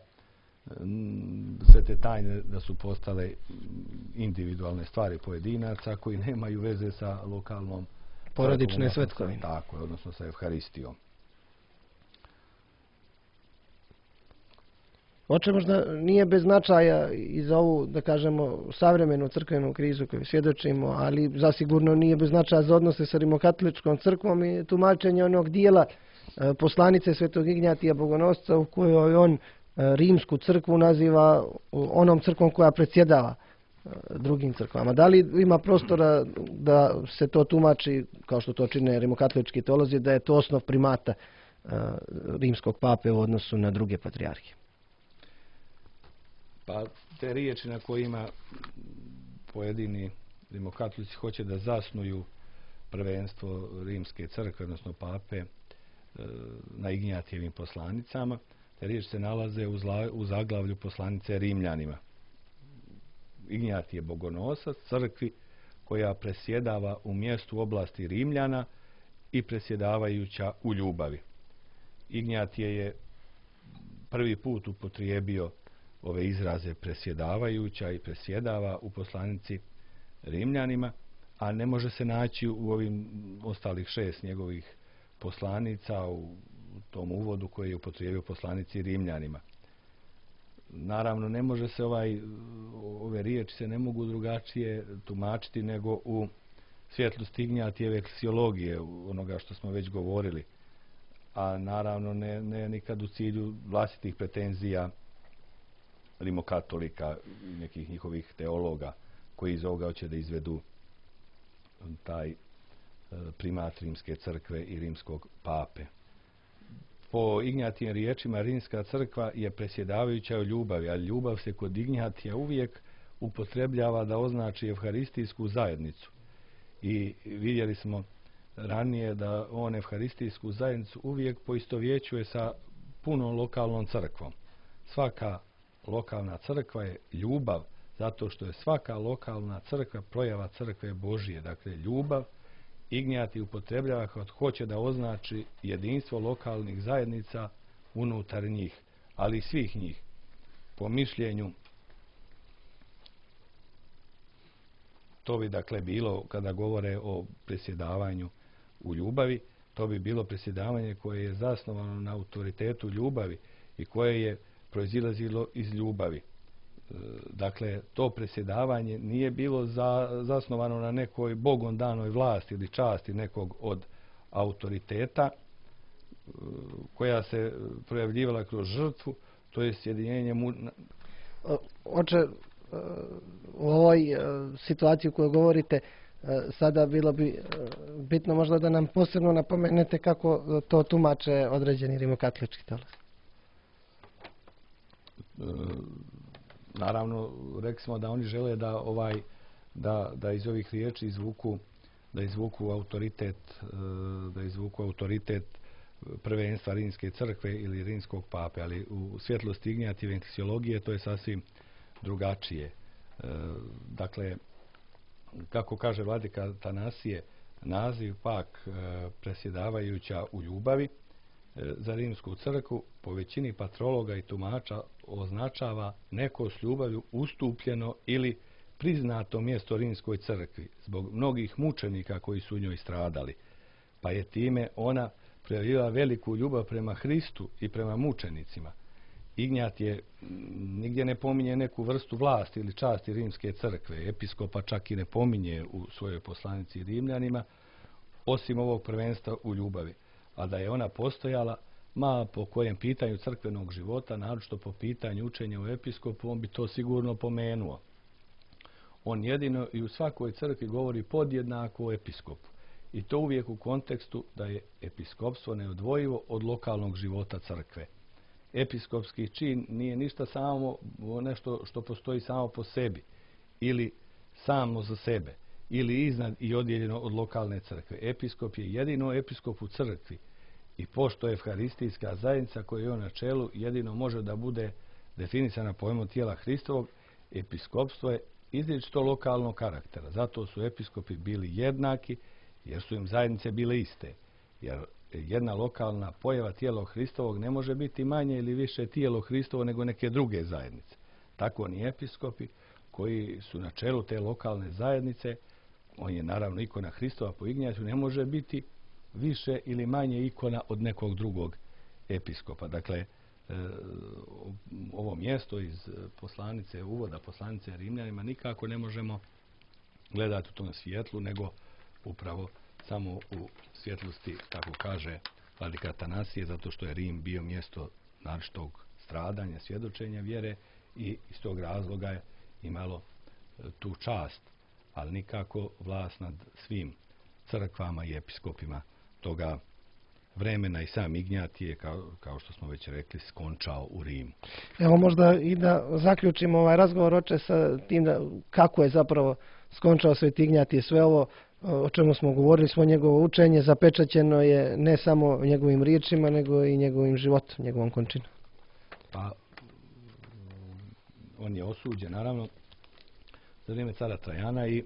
sve te tajne da su postale individualne stvari pojedinaca koji nemaju veze sa lokalnom porodične svetkovine. Tako je, odnosno sa Evharistijom. Oče, možda nije bez značaja i za ovu, da kažemo, savremenu crkvenu krizu koju svjedočimo, ali zasigurno nije bez značaja za odnose sa rimokatoličkom crkvom i tumačenje onog dijela poslanice svetog Ignjatija Bogonosca u kojoj on rimsku crkvu naziva onom crkvom koja predsjedava drugim crkvama. Da li ima prostora da se to tumači, kao što to čine rimokatolički teolozi, da je to osnov primata rimskog pape u odnosu na druge patrijarhije? Pa te riječi na kojima pojedini rimokatolici hoće da zasnuju prvenstvo rimske crkve, odnosno pape, na Ignjatijevim poslanicama, te riječi se nalaze u, zla, u zaglavlju poslanice Rimljanima. Ignjatije Bogonosac, crkvi koja presjedava u mjestu oblasti Rimljana i presjedavajuća u ljubavi. Ignjatije je prvi put upotrijebio ove izraze presjedavajuća i presjedava u poslanici Rimljanima, a ne može se naći u ovim ostalih šest njegovih poslanica u tom uvodu koji je upotrijebio poslanici Rimljanima. Naravno, ne može se ovaj, ove riječi se ne mogu drugačije tumačiti nego u svjetlosti Ignjatijeve eklesiologije, onoga što smo već govorili, a naravno ne, ne nikad u cilju vlastitih pretenzija rimokatolika i nekih njihovih teologa koji iz ovoga hoće da izvedu taj primat rimske crkve i rimskog pape. Po Ignjatijim riječima rimska crkva je presjedavajuća u ljubavi, a ljubav se kod Ignjatija uvijek upotrebljava da označi evharistijsku zajednicu. I vidjeli smo ranije da on evharistijsku zajednicu uvijek poistovjećuje sa punom lokalnom crkvom. Svaka lokalna crkva je ljubav, zato što je svaka lokalna crkva projava crkve Božije. Dakle, ljubav Ignjatij upotrebljava kad hoće da označi jedinstvo lokalnih zajednica unutar njih, ali i svih njih. Po mišljenju, to bi dakle bilo, kada govore o presjedavanju u ljubavi, to bi bilo presjedavanje koje je zasnovano na autoritetu ljubavi i koje je proizilazilo iz ljubavi. Dakle, to presjedavanje nije bilo za, zasnovano na nekoj bogom danoj vlasti ili časti nekog od autoriteta koja se projavljivala kroz žrtvu, to je sjedinjenje mu... Oče, u ovoj situaciji u kojoj govorite, sada bilo bi bitno možda da nam posebno napomenete kako to tumače određeni rimokatolički teolozi. Naravno, rekli smo da oni žele da ovaj da, da iz ovih riječi izvuku da izvuku autoritet da izvuku autoritet prvenstva rimske crkve ili rimskog pape, ali u svjetlosti Ignjatijeve eklesiologije to je sasvim drugačije. Dakle, kako kaže vladika Atanasije, naziv pak presjedavajuća u ljubavi za rimsku crkvu po većini patrologa i tumača označava neko s ljubavlju ustupljeno ili priznato mjesto rimskoj crkvi zbog mnogih mučenika koji su u njoj stradali, pa je time ona projavila veliku ljubav prema Hristu i prema mučenicima. Ignjatije nigdje ne pominje neku vrstu vlasti ili časti rimske crkve, episkopa čak i ne pominje u svojoj poslanici Rimljanima, osim ovog prvenstva u ljubavi. A da je ona postojala, ma po kojem pitanju crkvenog života, naročito po pitanju učenja u episkopu, on bi to sigurno pomenuo. On jedino i u svakoj crkvi govori podjednako o episkopu. I to uvijek u kontekstu da je episkopstvo neodvojivo od lokalnog života crkve. Episkopski čin nije ništa samo nešto što postoji samo po sebi ili samo za sebe ili iznad i odjeljeno od lokalne crkve. Episkop je jedino episkop u crkvi i pošto je evharistijska zajednica koja je on na čelu jedino može da bude definisana pojmom tijela Hristovog, episkopstvo je izričito lokalnog karaktera. Zato su episkopi bili jednaki jer su im zajednice bile iste. Jer jedna lokalna pojava tijela Hristovog ne može biti manje ili više tijelo Hristovo nego neke druge zajednice. Tako ni episkopi koji su na čelu te lokalne zajednice, on je naravno ikona Hristova po Ignjatiju, ne može biti više ili manje ikona od nekog drugog episkopa. Dakle, ovo mjesto iz poslanice, uvoda poslanice Rimljanima nikako ne možemo gledati u tom svjetlu, nego upravo samo u svjetlosti, kako kaže vladika Atanasije, zato što je Rim bio mjesto naročitog stradanja, svjedočenja vjere i iz tog razloga je imalo tu čast, ali nikako vlast nad svim crkvama i episkopima toga vremena i sam Ignjatije, kao, kao što smo već rekli, skončao u Rimu. Evo možda i da zaključimo ovaj razgovor, oče, sa tim da kako je zapravo skončao Sveti Ignjatije. Sve ovo o čemu smo govorili, smo njegovo učenje zapečaćeno je ne samo njegovim riječima, nego i njegovim životom, njegovom končinom. Pa, on je osuđen, naravno, za vrijeme cara Trajana i e,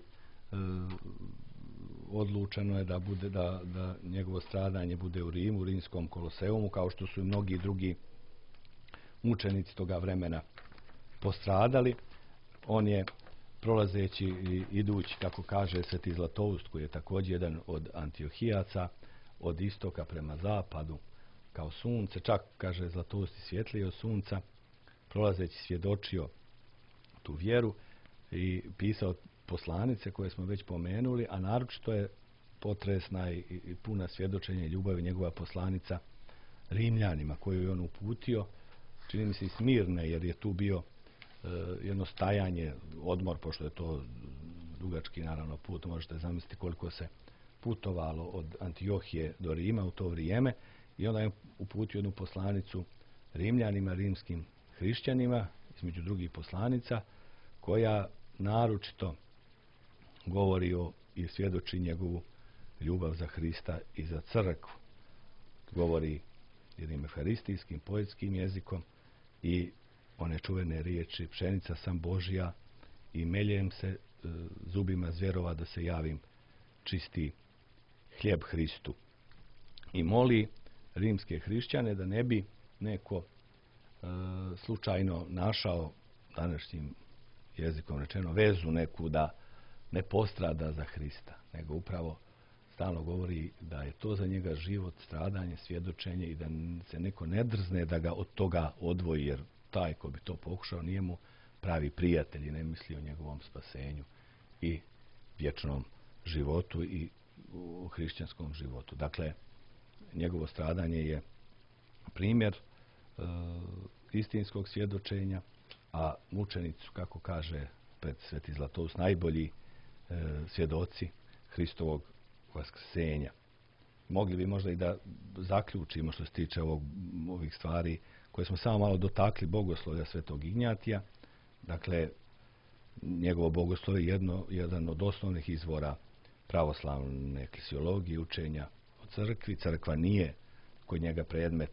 odlučeno je da bude da, da njegovo stradanje bude u Rimu, u Rimskom koloseumu, kao što su i mnogi drugi mučenici toga vremena postradali. On je prolazeći i idući, kako kaže Sveti Zlatoust, koji je također jedan od Antiohijaca, od istoka prema zapadu, kao sunce, čak, kaže Zlatoust, i svjetlije od sunca, prolazeći svjedočio tu vjeru i pisao poslanice koje smo već pomenuli, a naročito je potresna i, i puna svjedočenja i ljubavi njegova poslanica Rimljanima, koju je on uputio, čini mi se i Smirne, jer je tu bio e, jedno stajanje, odmor, pošto je to dugački naravno put, možete zamisliti koliko se putovalo od Antiohije do Rima u to vrijeme, i onda je uputio jednu poslanicu Rimljanima, rimskim hrišćanima, između drugih poslanica, koja naročito govori o i svjedoči njegovu ljubav za Hrista i za crkvu. Govori jednim euharistijskim, poetskim jezikom i one čuvene riječi: pšenica sam Božja i meljem se e, zubima zvjerova da se javim čisti hljeb Hristu. I moli rimske hrišćane da ne bi neko e, slučajno našao, današnjim jezikom rečeno, vezu neku da ne postrada za Hrista, nego upravo stalno govori da je to za njega život, stradanje, svjedočenje i da se neko ne drzne da ga od toga odvoji, jer taj ko bi to pokušao nije mu pravi prijatelj i ne misli o njegovom spasenju i vječnom životu i u hrišćanskom životu. Dakle, njegovo stradanje je primjer e, istinskog svjedočenja, a mučenici, kako kaže pred Sveti Zlatoust, najbolji e, svjedoci Hristovog vaskrsenja. Mogli bi možda i da zaključimo što se tiče ovog, ovih stvari koje smo samo malo dotakli bogoslovlja Svetog Ignjatija. Dakle, njegovo bogoslovje je jedno, jedan od osnovnih izvora pravoslavne eklesiologije, učenja o crkvi. Crkva nije kod njega predmet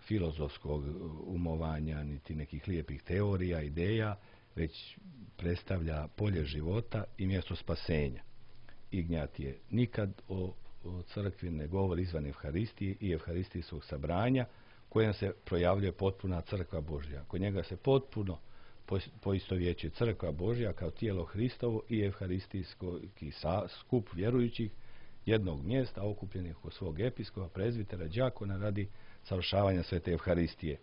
filozofskog umovanja, niti nekih lijepih teorija, ideja, već predstavlja polje života i mjesto spasenja. Ignjatije nikad o, o crkvi ne govori izvan Evharistije i Evharistijskog sabranja, kojem se projavljuje potpuna crkva Božja. Kod njega se potpuno poistovjećuje crkva Božja kao tijelo Hristovo i Evharistijski skup vjerujućih jednog mjesta okupljenih oko svog episkopa, prezbitera, đakona radi savršavanja svete Evharistije.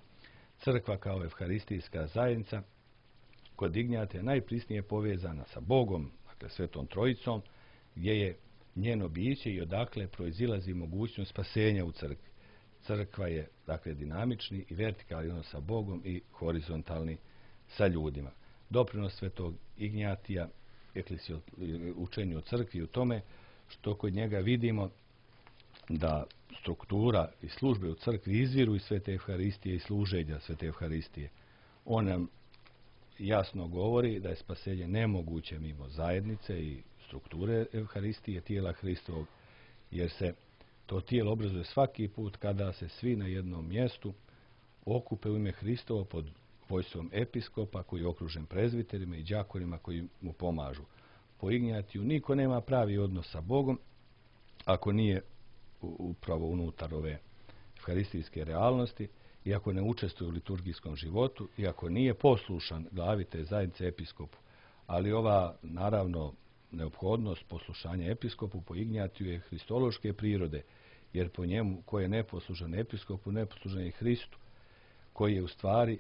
Crkva kao evharistijska zajednica kod Ignjatija najprisnije povezana sa Bogom, dakle Svetom Trojicom, gdje je njeno biće i odakle proizilazi mogućnost spasenja u crkvi. crkva je dakle dinamični i vertikalni odnos sa Bogom i horizontalni sa ljudima. Doprinos svetog Ignjatija učenju o crkvi u tome što kod njega vidimo da struktura i službe u crkvi izviru iz svete Evharistije i služenja svete Evharistije. On nam jasno govori da je spasenje nemoguće mimo zajednice i strukture Evharistije, tijela Hristovog, jer se to tijelo obrazuje svaki put kada se svi na jednom mjestu okupe u ime Hristovo pod vojstvom episkopa koji je okružen prezbiterima i đakonima koji mu pomažu. Po Ignjatiju niko nema pravi odnos sa Bogom ako nije upravo unutar ove evharistijske realnosti i ako ne učestvuje u liturgijskom životu i ako nije poslušan glavi te zajednice episkopu. Ali ova, naravno, neophodnost poslušanja episkopu po Ignjatiju je hristološke prirode, jer po njemu ko je neposlušan episkopu, neposlušan je Hristu, koji je u stvari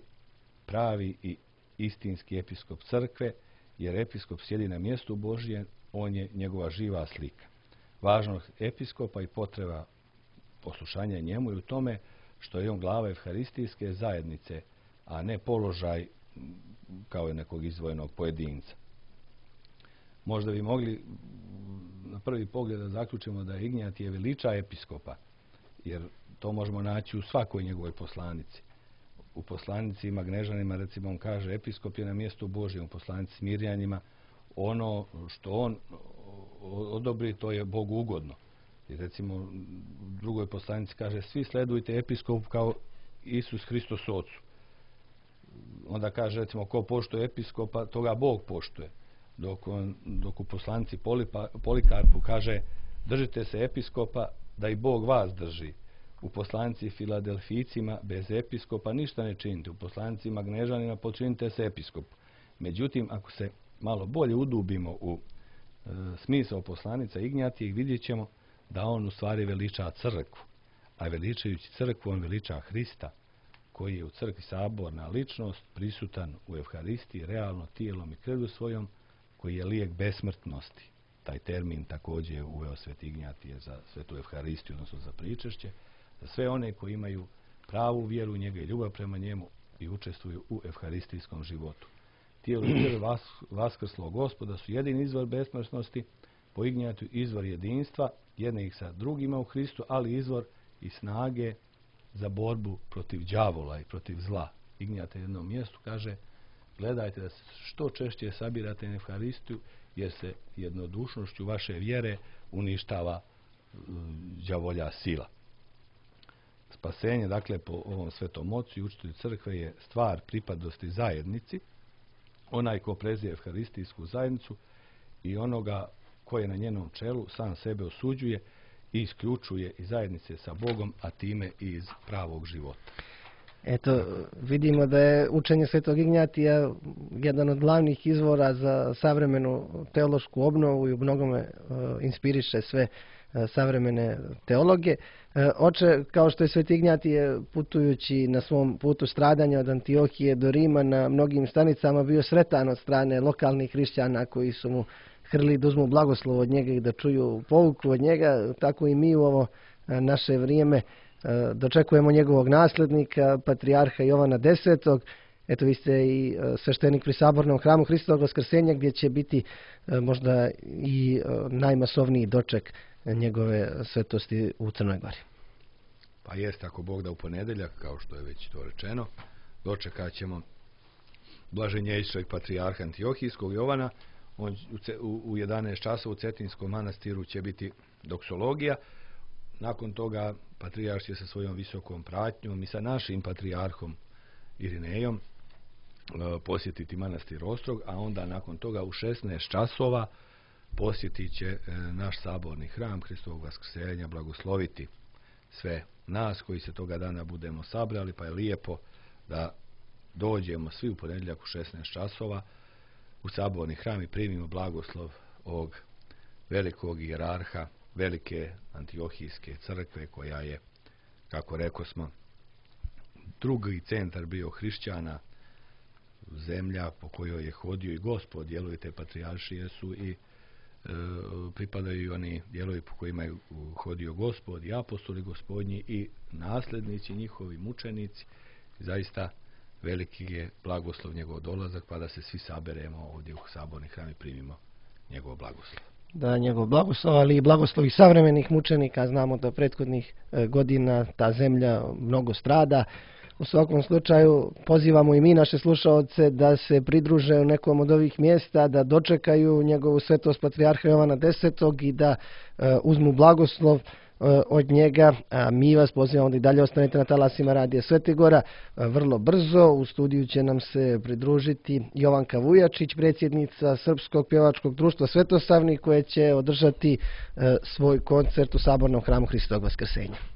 pravi i istinski episkop crkve, jer episkop sjedi na mjestu Božije, on je njegova živa slika. Važnost episkopa i potreba poslušanja njemu je u tome što je on glava evharistijske zajednice, a ne položaj kao je nekog izdvojenog pojedinca. Možda bi mogli na prvi pogled da zaključimo da Ignjatije veliča episkopa, jer to možemo naći u svakoj njegovoj poslanici. U poslanici Magnežanima, recimo, on kaže episkop je na mjestu Božijem, u poslanici Smirjanima ono što on odobri, to je Bogu ugodno. I recimo u drugoj poslanici kaže svi sledujte episkopu kao Isus Hristos Ocu. Onda kaže, recimo, ko poštuje episkopa, toga Bog poštuje. Dok, on, dok u poslanici Polipa, Polikarpu kaže držite se episkopa da i Bog vas drži. U poslanici Filadelfijcima bez episkopa ništa ne činite. U poslanici Magnežanima počinite se episkopu. Međutim, ako se malo bolje udubimo u e, smisao poslanica Ignjatije, vidjet ćemo da on u stvari veliča crkvu. A veličajući crkvu, on veliča Hrista, koji je u crkvi saborna ličnost, prisutan u Evharistiji, realno tijelom i krvlju svojom, koji je lijek besmrtnosti. Taj termin također je uveo sveti Ignjatije za svetu Evharistiju, odnosno za pričešće, za sve one koji imaju pravu vjeru u njega i ljubav prema njemu i učestvuju u evharistijskom životu. Tijelo i krv vas, vaskrslog Gospoda su jedini izvor besmrtnosti, po Ignjatiju izvor jedinstva, jednih sa drugima u Hristu, ali izvor i snage za borbu protiv đavola i protiv zla. Ignjatije na jednom mjestu kaže gledajte da se što češće sabirate na Evharistiju, jer se jednodušnošću vaše vjere uništava đavolja sila. Spasenje, dakle, po ovom svetom ocu i učitelju crkve je stvar pripadnosti zajednici, onaj ko prezije evharistijsku zajednicu i onoga ko je na njenom čelu sam sebe osuđuje i isključuje iz zajednice sa Bogom, a time i iz pravog života. Eto, vidimo da je učenje svetog Ignjatija jedan od glavnih izvora za savremenu teološku obnovu i u mnogome uh, inspiriše sve uh, savremene teologe. Uh, oče, kao što je sveti Ignjatije putujući na svom putu stradanja od Antiohije do Rima na mnogim stanicama bio sretan od strane lokalnih hrišćana koji su mu hrli da uzmu blagoslov od njega i da čuju pouku od njega, tako i mi u ovo uh, naše vrijeme dočekujemo njegovog naslednika, patrijarha Jovana desetog. Eto, vi ste i sveštenik pri sabornom hramu Hristovog Vaskrsenja, gdje će biti možda i najmasovniji doček njegove svetosti u Crnoj Gori. Pa jest, ako Bog da u ponedeljak, kao što je već to rečeno, dočekat ćemo blaženjejšeg patrijarha Antiohijskog Jovana. On u jedanaest časova u Cetinskom manastiru će biti doksologija. Nakon toga patrijarh će sa svojom visokom pratnjom i sa našim patrijarhom Irinejom posjetiti manastir Ostrog, a onda nakon toga u šesnaest časova posjetit će naš saborni hram Hristovog Vaskrsenja, blagosloviti sve nas koji se toga dana budemo sabrali, pa je lijepo da dođemo svi u ponedjeljak u šesnaest časova u saborni hram i primimo blagoslov ovog velikog hijerarha velike Antiohijske crkve, koja je, kako rekao smo, drugi centar bio hrišćana, zemlja po kojoj je hodio i Gospod. Dijelovi te patrijaršije su i pripadaju i oni dijelovi po kojima je hodio Gospod i apostoli Gospodnji i nasljednici njihovi, mučenici. Zaista veliki je blagoslov njegov dolazak, pa da se svi saberemo ovdje u saborni hram i primimo njegov blagoslov. Da, njegov blagoslov, ali i blagoslovi savremenih mučenika. Znamo da prethodnih godina ta zemlja mnogo strada. U svakom slučaju pozivamo i mi naše slušaoce da se pridruže u nekom od ovih mjesta, da dočekaju njegovu svetost patrijarha Jovana desetog i da e, uzmu blagoslov e, od njega. A mi vas pozivamo da i dalje ostanete na talasima Radija Svetigora. E, vrlo brzo u studiju će nam se pridružiti Jovanka Vujačić, predsjednica Srpskog pjevačkog društva Svetosavni, koje će održati e, svoj koncert u Sabornom hramu Hristovog Vaskrsenja.